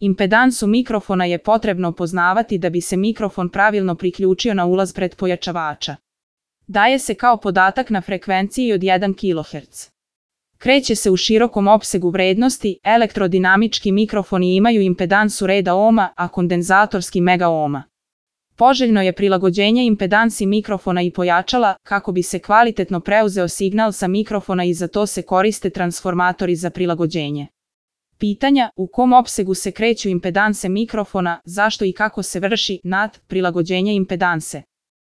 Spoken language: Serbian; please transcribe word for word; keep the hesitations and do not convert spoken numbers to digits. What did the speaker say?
Impedansu mikrofona je potrebno poznavati da bi se mikrofon pravilno priključio na ulaz pretpojačavača. Daje se kao podatak na frekvenciji od jedan kiloherc. Kreće se u širokom opsegu vrednosti, elektrodinamički mikrofoni imaju impedansu reda ohma, a kondenzatorski megaohma. Poželjno je prilagođenje impedansi mikrofona i pojačala, kako bi se kvalitetno preuzeo signal sa mikrofona i za to se koriste transformatori za prilagođenje. Pitanja: u kom opsegu se kreću impedanse mikrofona, zašto i kako se vrši nad prilagođenje impedanse?